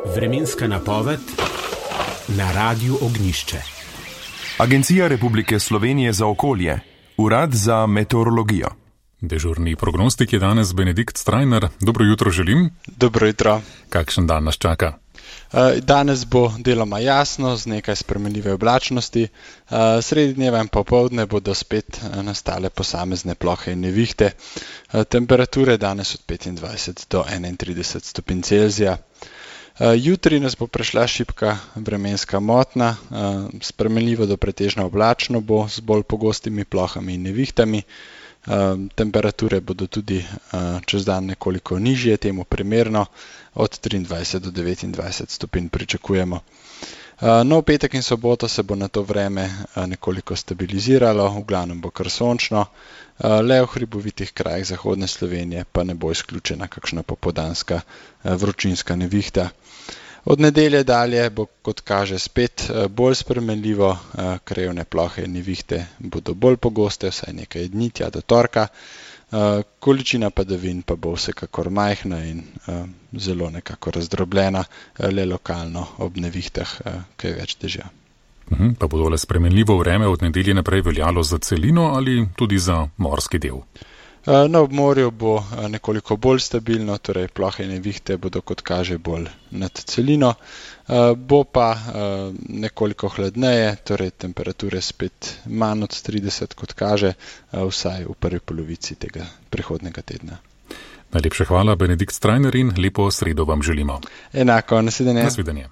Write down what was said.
Vremenska napoved na Radiu Ognjišče. Agencija Republike Slovenije za okolje, Urad za meteorologijo. Dežurni prognostik je danes Benedikt Strajnar. Dobro jutro želim. Dobro jutro. Kakšen dan nas čaka? Danes bo deloma jasno, z nekaj spremenljive oblačnosti. Sredi dneva in popoldne bodo spet nastale posamezne plohe in nevihte. Temperature danes od 25 do 31 stopinj Celzija. Jutri nas bo prešla šibka vremenska motnja, spremenljivo do pretežno oblačno bo z bolj pogostimi plohami in nevihtami. Temperature bodo tudi čez dan nekoliko nižje, temu primerno, od 23 do 29 stopinj pričakujemo. No, v petek in soboto se bo na to vreme nekoliko stabiliziralo, v glavnem bo kar sončno, le v hribovitih krajih zahodne Slovenije pa ne bo izključena kakšna popoldanska vročinska nevihta. Od nedelje dalje bo, kot kaže, spet bolj spremenljivo, krajevne plohe in nevihte bodo bolj pogoste, vsaj nekaj dni tja do torka. Količina padavin pa bo vsekakor majhna in zelo nekako razdrobljena, le lokalno ob nevihtah kaj več dežja. Pa bo tole spremenljivo vreme od nedelje naprej veljalo za celino ali tudi za morski del? Na obmorju bo nekoliko bolj stabilno, torej plohe in nevihte bodo, kot kaže, bolj nad celino. Bo pa nekoliko hladneje, torej temperature spet manj od 30, kot kaže, vsaj v prvi polovici tega prihodnega tedna. Najlepša hvala, Benedikt Strajnar, in lepo sredo vam želimo. Enako, nasvidenje. Nasvidenje.